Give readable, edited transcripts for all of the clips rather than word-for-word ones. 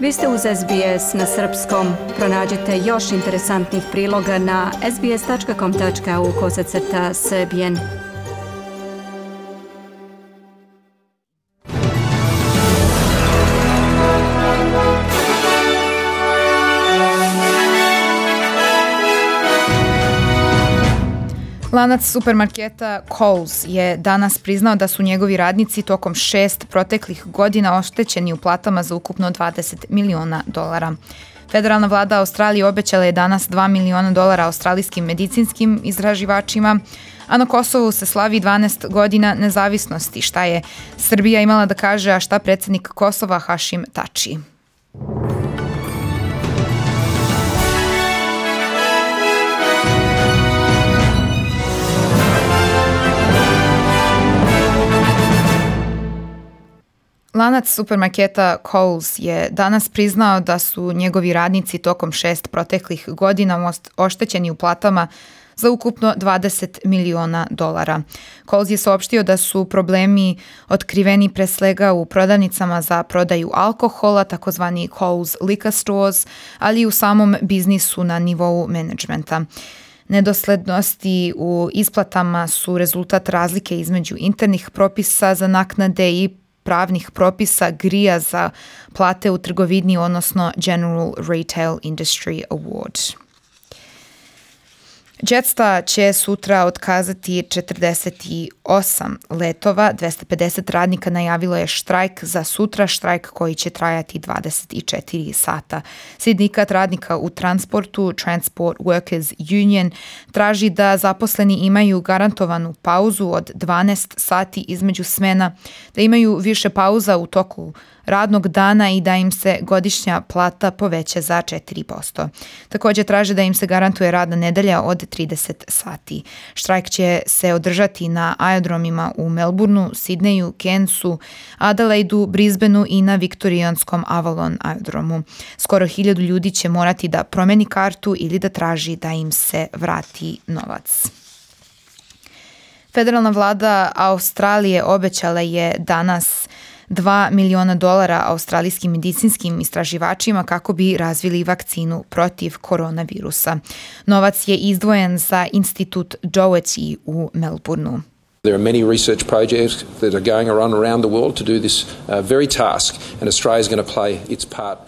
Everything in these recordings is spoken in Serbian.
Vi ste uz SBS na srpskom. Pronađite još interesantnih priloga na sbs.com.au/srbijen. Lanac supermarketa Coles je danas priznao da su njegovi radnici tokom 6 proteklih godina oštećeni u platama za ukupno $20 miliona. Federalna vlada Australije obećala je danas $2 miliona australijskim medicinskim istraživačima, a na Kosovu se slavi 12 godina nezavisnosti. Šta je Srbija imala da kaže, a šta predsjednik Kosova Hašim Tači? Lanac supermarketa Coles je danas priznao da su njegovi radnici tokom 6 proteklih godina oštećeni u platama za ukupno $20 miliona. Coles je saopštio da su problemi otkriveni pre svega u prodavnicama za prodaju alkohola, takozvani Coles liquor stores, ali i u samom biznisu na nivou menadžmenta. Nedoslednosti u isplatama su rezultat razlike između internih propisa za naknade i pravnih propisa GRIA za plate u trgovini, odnosno General Retail Industry Award. Jetstar će sutra otkazati 48 letova, 250 radnika najavilo je štrajk za sutra, štrajk koji će trajati 24 sata. Sindikat radnika u transportu, Transport Workers Union, traži da zaposleni imaju garantovanu pauzu od 12 sati između smena, da imaju više pauza u toku radnog dana i da im se godišnja plata poveća za 4%. Također traže da im se garantuje radna nedelja od 30 sati. Štrajk će se održati na aerodromima u Melbourneu, Sidneju, Cairnsu, Adelaidu, Brisbaneu i na viktorijanskom Avalon aerodromu. Skoro 1000 ljudi će morati da promeni kartu ili da traži da im se vrati novac. Federalna vlada Australije obećala je danas $2 miliona australijskim medicinskim istraživačima kako bi razvili vakcinu protiv koronavirusa. Novac je izdvojen za institut Doherty u Melbourneu. There are many research projects that are going around the world to do this very task, and Australia is going to play its part.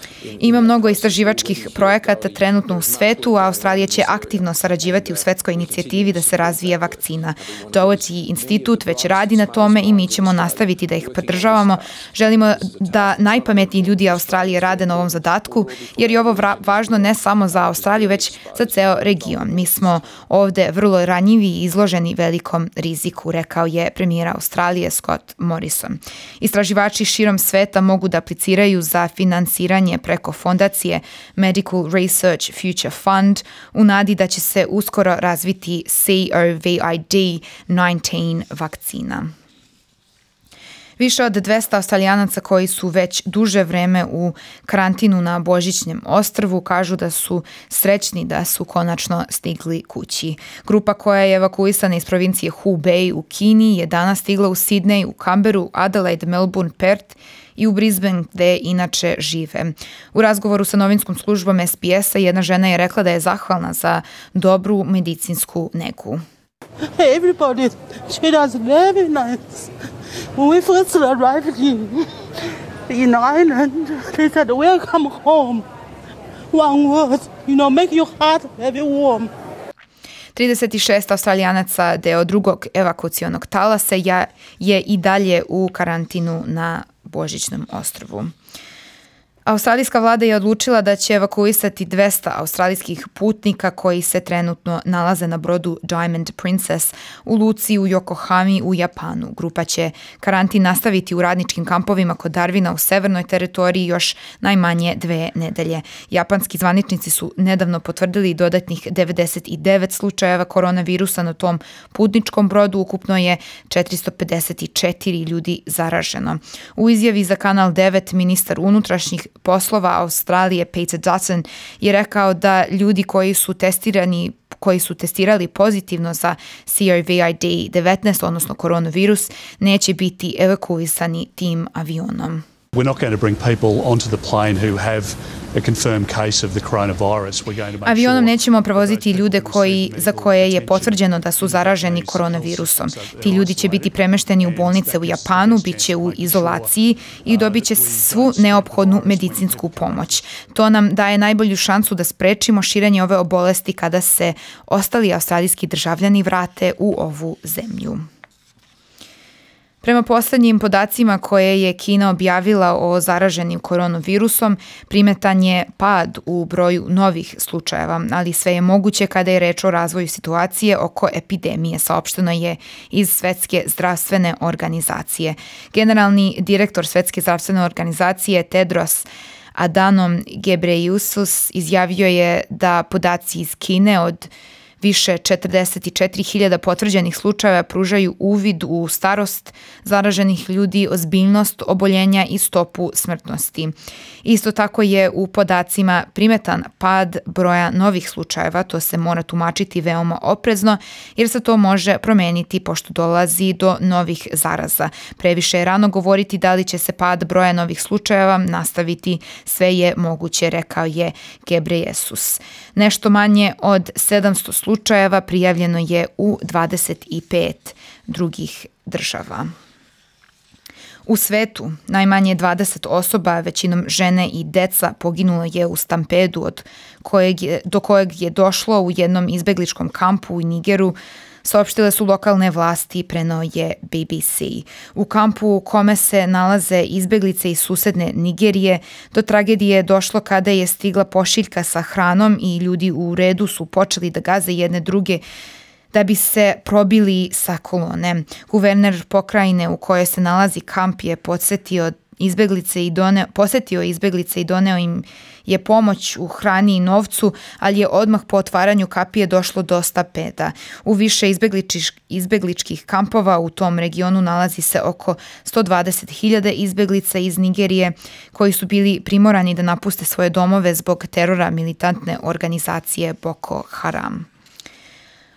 Ima mnogo istraživačkih projekata trenutno u svetu, a Australija će aktivno sarađivati u svetskoj inicijativi da se razvije vakcina. Doherty institut već radi na tome i mi ćemo nastaviti da ih podržavamo. Želimo da najpametniji ljudi Australije rade na ovom zadatku, jer je ovo važno ne samo za Australiju, već za ceo region. Mi smo ovde vrlo ranjivi i izloženi velikom riziku, rekao je premijer Australije Scott Morrison. Istraživači širom sveta mogu da apliciraju za finansiranje preko fondacije Medical Research Future Fund u nadi da će se uskoro razviti COVID-19 vakcina. Više od 200 Australijanaca koji su već duže vreme u karantinu na Božićnem ostrvu kažu da su srećni da su konačno stigli kući. Grupa koja je evakuisana iz provincije Hubei u Kini je danas stigla u Sidney, u Canberru, Adelaide, Melbourne, Perth i u Brisbane gde inače žive. U razgovoru sa novinskom službom SBS-a jedna žena je rekla da je zahvalna za dobru medicinsku negu. Everybody treat us very nice. When we first arrived in Ireland, they said, welcome home. One word, make your heart very warm. 36 Australijanaca deo drugog evakuacionog talasa je i dalje u karantinu na Božićnom ostrvu. Australijska vlada je odlučila da će evakuisati 200 australijskih putnika koji se trenutno nalaze na brodu Diamond Princess u luci u Yokohami u Japanu. Grupa će karantin nastaviti u radničkim kampovima kod Darwina u severnoj teritoriji još najmanje 2 nedelje. Japanski zvaničnici su nedavno potvrdili dodatnih 99 slučajeva koronavirusa na tom putničkom brodu. Ukupno je 454 ljudi zaraženo. U izjavi za Kanal 9 ministar unutrašnjih poslova Australije Peter Dutton je rekao da ljudi koji su testirali pozitivno za COVID-19, odnosno koronavirus, neće biti evakuisani tim avionom. We're not going to bring people onto the plane who have a confirmed case of the coronavirus. We're going to make Avionom sure nećemo prevoziti ljude za koje je potvrđeno da su zaraženi koronavirusom. Ti ljudi će biti premešteni u bolnice u Japanu, bit će u izolaciji i dobit će svu neophodnu medicinsku pomoć. To nam daje najbolju šansu da sprečimo širenje ove bolesti kada se ostali australijski državljani vrate u ovu zemlju. Prema poslednjim podacima koje je Kina objavila o zaraženim koronavirusom, primetan je pad u broju novih slučajeva, ali sve je moguće kada je reč o razvoju situacije oko epidemije, saopšteno je iz Svetske zdravstvene organizacije. Generalni direktor Svetske zdravstvene organizacije Tedros Adhanom Ghebreyesus izjavio je da podaci iz Kine od više 44.000 potvrđenih slučajeva pružaju uvid u starost zaraženih ljudi, ozbiljnost oboljenja i stopu smrtnosti. Isto tako je u podacima primetan pad broja novih slučajeva, to se mora tumačiti veoma oprezno jer se to može promeniti pošto dolazi do novih zaraza. Previše je rano govoriti da li će se pad broja novih slučajeva nastaviti, sve je moguće, rekao je Ghebreyesus. Nešto manje od 700 slučajeva prijavljeno je u 25 drugih država. U svetu najmanje 20 osoba, većinom žene i deca, poginulo je u stampedu do kojeg je došlo u jednom izbegličkom kampu u Nigeru, saopštile su lokalne vlasti, preneo je BBC. U kampu u kome se nalaze izbeglice iz susedne Nigerije, do tragedije je došlo kada je stigla pošiljka sa hranom i ljudi u redu su počeli da gaze jedne druge da bi se probili sa kolone. Guverner pokrajine u kojoj se nalazi kamp je posetio izbeglice i doneo im je pomoć u hrani i novcu, ali je odmah po otvaranju kapije došlo do stampeda. U više izbegličkih kampova u tom regionu nalazi se oko 120.000 izbeglica iz Nigerije koji su bili primorani da napuste svoje domove zbog terora militantne organizacije Boko Haram.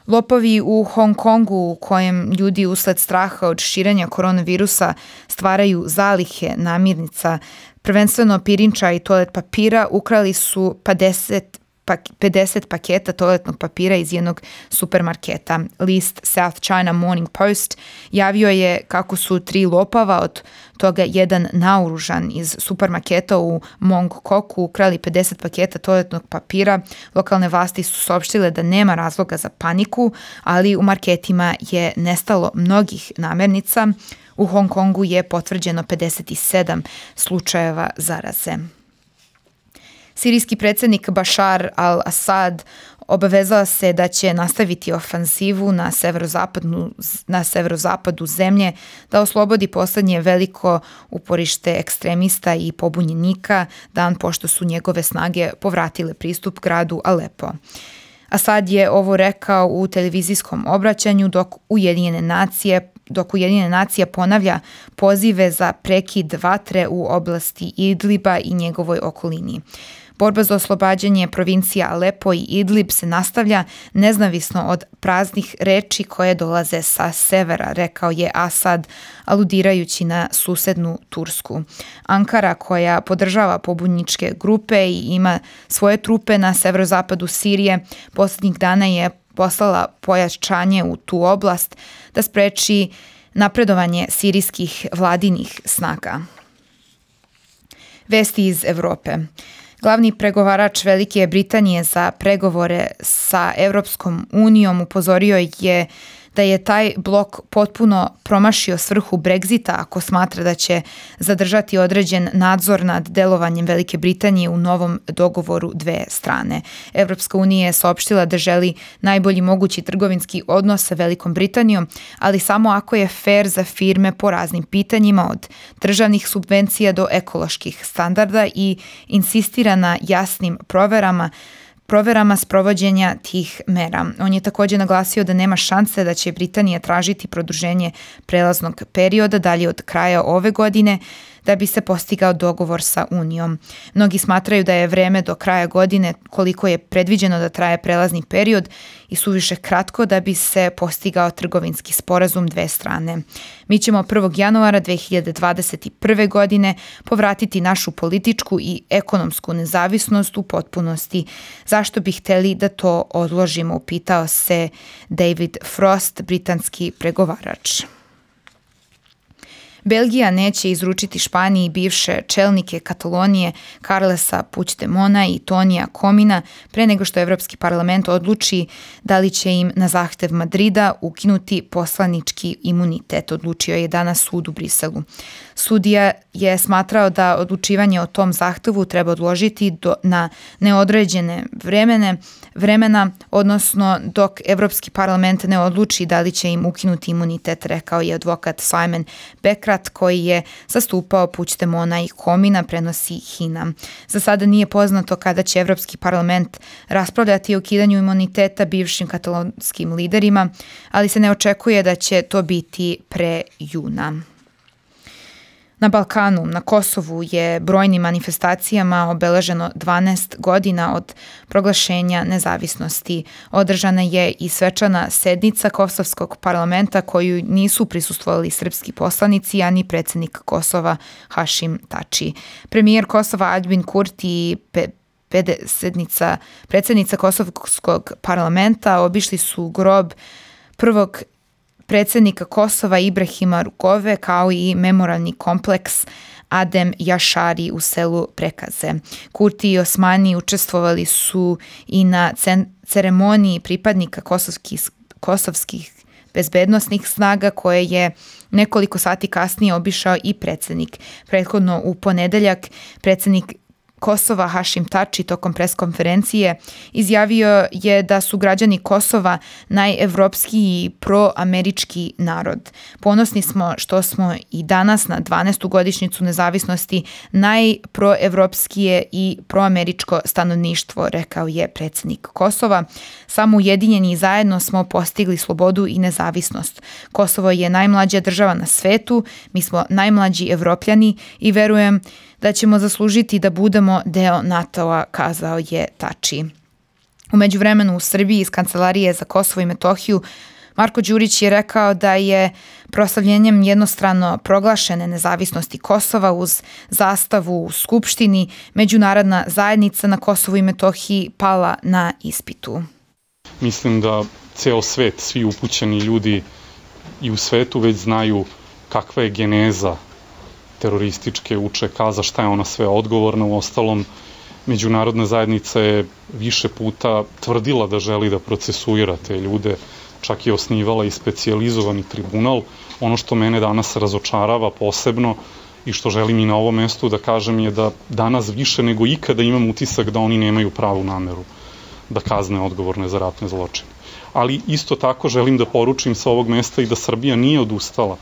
Lopovi u Hong Kongu u kojem ljudi usled straha od širenja koronavirusa stvaraju zalihe namirnica, prvenstveno pirinča i toalet papira, ukrali su 50 paketa toaletnog papira iz jednog supermarketa. List South China Morning Post javio je kako su 3 lopava, od toga jedan naoružan, iz supermarketa u Mong Koku ukrali 50 paketa toaletnog papira. Lokalne vlasti su saopštile da nema razloga za paniku, ali u marketima je nestalo mnogih namirnica. U Hong Kongu je potvrđeno 57 slučajeva zaraze. Sirijski predsjednik Bashar al-Assad obavezao se da će nastaviti ofanzivu na severozapadu zemlje, da oslobodi posljednje veliko uporište ekstremista i pobunjenika, dan pošto su njegove snage povratile pristup gradu Alepo. Assad je ovo rekao u televizijskom obraćanju dok Ujedinjene nacije ponavlja pozive za prekid vatre u oblasti Idliba i njegovoj okolini. Borba za oslobađanje provincija Alepo i Idlib se nastavlja nezavisno od praznih reči koje dolaze sa severa, rekao je Assad, aludirajući na susednu Tursku. Ankara, koja podržava pobunjeničke grupe i ima svoje trupe na severozapadu Sirije, posljednjih dana je poslala pojačanje u tu oblast da spreči napredovanje sirijskih vladinih snaga. Vesti iz Evrope. Glavni pregovarač Velike Britanije za pregovore sa Europskom unijom upozorio je da je taj blok potpuno promašio svrhu Brexita ako smatra da će zadržati određen nadzor nad delovanjem Velike Britanije u novom dogovoru dve strane. Europska unija je saopštila da želi najbolji mogući trgovinski odnos sa Velikom Britanijom, ali samo ako je fair za firme po raznim pitanjima, od državnih subvencija do ekoloških standarda, i insistira na jasnim proverama sprovođenja tih mera. On je također naglasio da nema šanse da će Britanija tražiti produženje prelaznog perioda dalje od kraja ove godine, da bi se postigao dogovor sa Unijom. Mnogi smatraju da je vreme do kraja godine, koliko je predviđeno da traje prelazni period, i suviše kratko da bi se postigao trgovinski sporazum dve strane. Mi ćemo 1. januara 2021. godine povratiti našu političku i ekonomsku nezavisnost u potpunosti. Zašto bi hteli da to odložimo, upitao se David Frost, britanski pregovarač. Belgija neće izručiti Španiji bivše čelnike Katalonije Carlesa Puigdemona i Tonija Komina pre nego što Evropski parlament odluči da li će im na zahtev Madrida ukinuti poslanički imunitet, odlučio je danas sud u Briselu. Sudija je smatrao da odlučivanje o tom zahtevu treba odložiti na neodređene vremena, odnosno dok Evropski parlament ne odluči da li će im ukinuti imunitet, rekao je advokat Simon Bekrat, koji je zastupao Puigdemona i Komina, prenosi HINA. Za sada nije poznato kada će Evropski parlament raspravljati o ukidanju imuniteta bivšim katalonskim liderima, ali se ne očekuje da će to biti pre juna. Na Balkanu, na Kosovu je brojnim manifestacijama obeleženo 12 godina od proglašenja nezavisnosti. Održana je i svečana sednica Kosovskog parlamenta koju nisu prisustvovali srpski poslanici, ani predsjednik Kosova Hašim Tači. Premijer Kosova Aljbin Kurti i predsjednica Kosovskog parlamenta obišli su grob prvog predsjednika Kosova Ibrahima Rugove, kao i memorialni kompleks Adem Jašari u selu Prekaze. Kurti i Osmani učestvovali su i na ceremoniji pripadnika kosovskih bezbednosnih snaga koje je nekoliko sati kasnije obišao i predsjednik. Prethodno u ponedeljak predsjednik Kosova Hašim Tači tokom preskonferencije izjavio je da su građani Kosova najevropskiji i proamerički narod. Ponosni smo što smo i danas na 12. godišnjicu nezavisnosti najproevropskije i proameričko stanovništvo, rekao je predsjednik Kosova. Samo ujedinjeni zajedno smo postigli slobodu i nezavisnost. Kosovo je najmlađa država na svetu, mi smo najmlađi Evropljani i verujem da ćemo zaslužiti da budemo deo NATO-a, kazao je Tači. U međuvremenu u Srbiji iz Kancelarije za Kosovo i Metohiju Marko Đurić je rekao da je proslavljenjem jednostrano proglašene nezavisnosti Kosova uz zastavu u Skupštini međunarodna zajednica na Kosovu i Metohiji pala na ispitu. Mislim da ceo svet, svi upućeni ljudi i u svetu već znaju kakva je geneza terorističke UČK, za šta je ona sve odgovorna. U ostalom, međunarodna zajednica je više puta tvrdila da želi da procesuira te ljude, čak je osnivala i specijalizovani tribunal. Ono što mene danas razočarava posebno i što želim i na ovom mestu da kažem je da danas više nego ikada imam utisak da oni nemaju pravu nameru da kazne odgovorne za ratne zločine. Ali isto tako želim da poručim sa ovog mesta i da Srbija nije odustala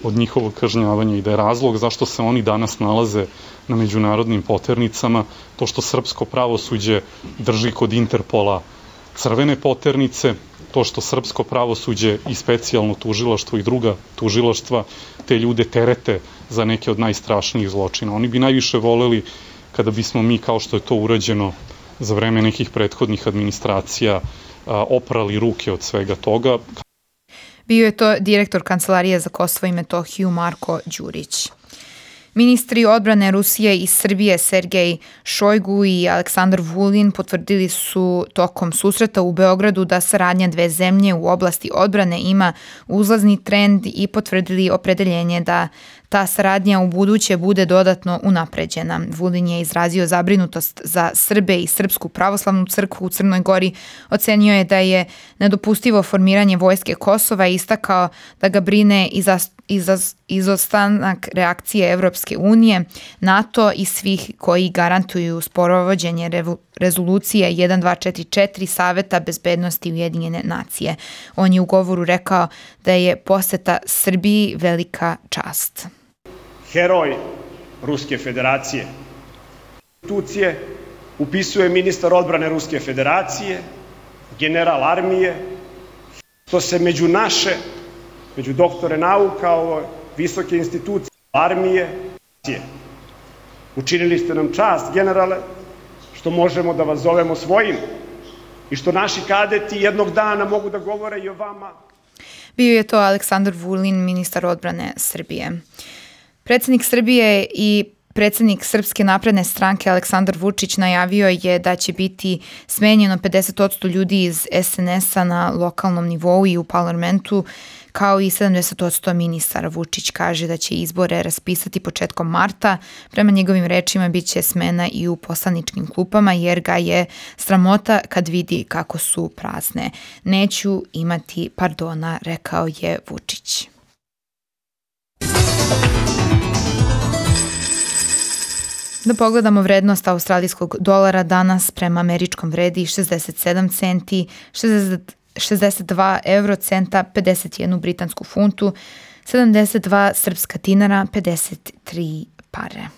od njihovog kažnjavanja i da je razlog zašto se oni danas nalaze na međunarodnim poternicama to što srpsko pravosuđe drži kod Interpola crvene poternice, to što srpsko pravosuđe i specijalno tužilaštvo i druga tužilaštva te ljude terete za neke od najstrašnijih zločina. Oni bi najviše voleli kada bismo mi, kao što je to urađeno za vreme nekih prethodnih administracija, oprali ruke od svega toga. Bio je to direktor Kancelarije za Kosovo i Metohiju Marko Đurić. Ministri odbrane Rusije i Srbije Sergej Šojgu i Aleksandar Vulin potvrdili su tokom susreta u Beogradu da saradnja dve zemlje u oblasti odbrane ima uzlazni trend i potvrdili opredeljenje da ta saradnja u buduće bude dodatno unapređena. Vulin je izrazio zabrinutost za Srbe i Srpsku pravoslavnu crkvu u Crnoj Gori. Ocenio je da je nedopustivo formiranje vojske Kosova i istakao da ga brine izostanak reakcije Evropske unije, NATO i svih koji garantuju sprovođenje rezolucije 1244 Saveta bezbednosti Ujedinjene nacije. On je u govoru rekao da je poseta Srbiji velika čast. Heroj Ruske federacije. Institucije upisuje ministar odbrane Ruske federacije, general armije, što se među naše, među doktore nauka, ovo visoke institucije armije, Učinili ste nam čast, generale, što možemo da vas zovemo svojim i što naši kadeti jednog dana mogu da govore i o vama. Bio je to Aleksandar Vulin, ministar odbrane Srbije. Predsjednik Srbije i predsjednik Srpske napredne stranke Aleksandar Vučić najavio je da će biti smenjeno 50% ljudi iz SNS-a na lokalnom nivou i u parlamentu, kao i 70% ministara. Vučić kaže da će izbore raspisati početkom marta. Prema njegovim rečima bit će smena i u poslaničkim klupama jer ga je sramota kad vidi kako su prazne. Neću imati pardona, rekao je Vučić. Da pogledamo vrednost australijskog dolara danas prema američkom vredi 67 centi, 62 eurocenta, 51 britansku funtu, 72 srpska dinara, 53 pare.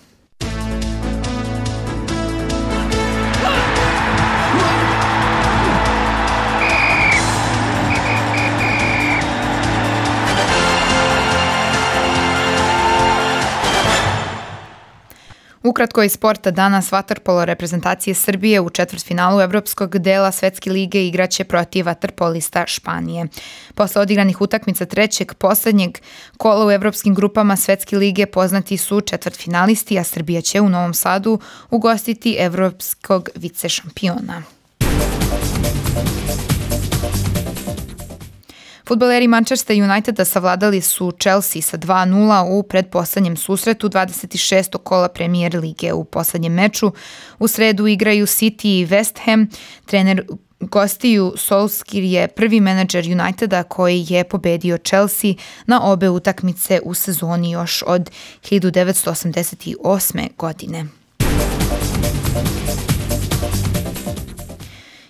Ukratko iz sporta danas vaterpolo reprezentacije Srbije u četvrtfinalu evropskog dela Svetske lige igraće protiv vaterpolista Španije. Posle odigranih utakmica trećeg poslednjeg kola u evropskim grupama Svetske lige poznati su četvrtfinalisti, a Srbija će u Novom Sadu ugostiti evropskog vicešampiona. Fudbaleri Manchester Uniteda savladali su Chelsea sa 2-0 u predposlednjem susretu 26. kola Premier lige. U poslednjem meču u sredu igraju City i West Ham. Trener gostiju Solskjaer je prvi menadžer Uniteda koji je pobedio Chelsea na obe utakmice u sezoni još od 1988. godine.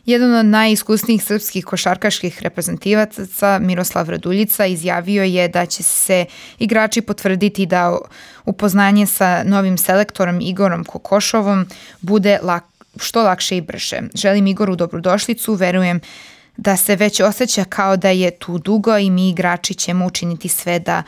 Jedan od najiskusnijih srpskih košarkaških reprezentativaca, Miroslav Raduljica, izjavio je da će se igrači potvrditi da upoznanje sa novim selektorom Igorom Kokošovom bude što lakše i brže. Želim Igoru dobrodošlicu, verujem da se već osjeća kao da je tu dugo i mi igrači ćemo učiniti sve da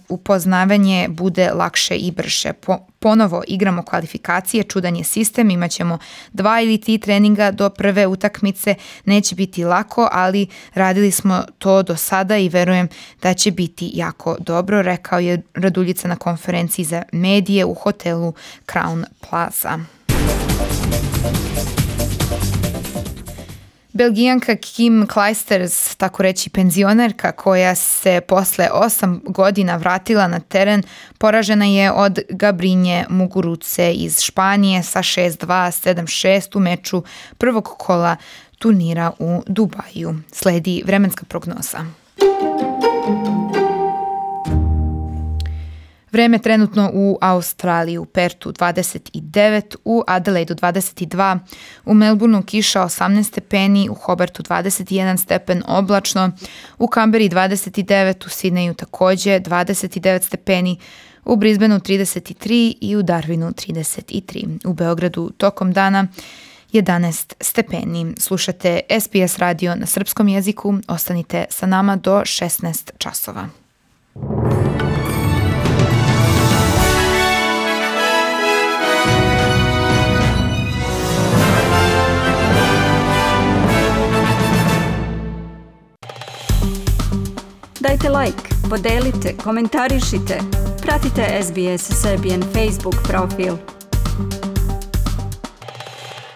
upoznavanje bude lakše i brže. Ponovo igramo kvalifikacije, čudan je sistem, imat ćemo 2 ili 3 treninga do prve utakmice, neće biti lako, ali radili smo to do sada i verujem da će biti jako dobro, rekao je Raduljica na konferenciji za medije u hotelu Crown Plaza. Belgijanka Kim Clijsters, tako reći penzionerka koja se posle 8 godina vratila na teren, poražena je od Gabrinje Muguruze iz Španije sa 6-2, 7-6 u meču prvog kola turnira u Dubaju. Sledi vremenska prognoza. Vreme trenutno u Australiji, u Pertu 29, u Adelaidu 22, u Melbourneu kiša 18 stepeni, u Hobartu 21 stepen oblačno, u Kamberi 29, u Sidneju takođe 29 stepeni, u Brisbaneu 33 i u Darwinu 33. U Beogradu tokom dana 11 stepeni. Slušate SBS radio na srpskom jeziku. Ostanite sa nama do 16 časova. Dajte like, podelite, komentarišite, pratite SBS Serbian Facebook profil.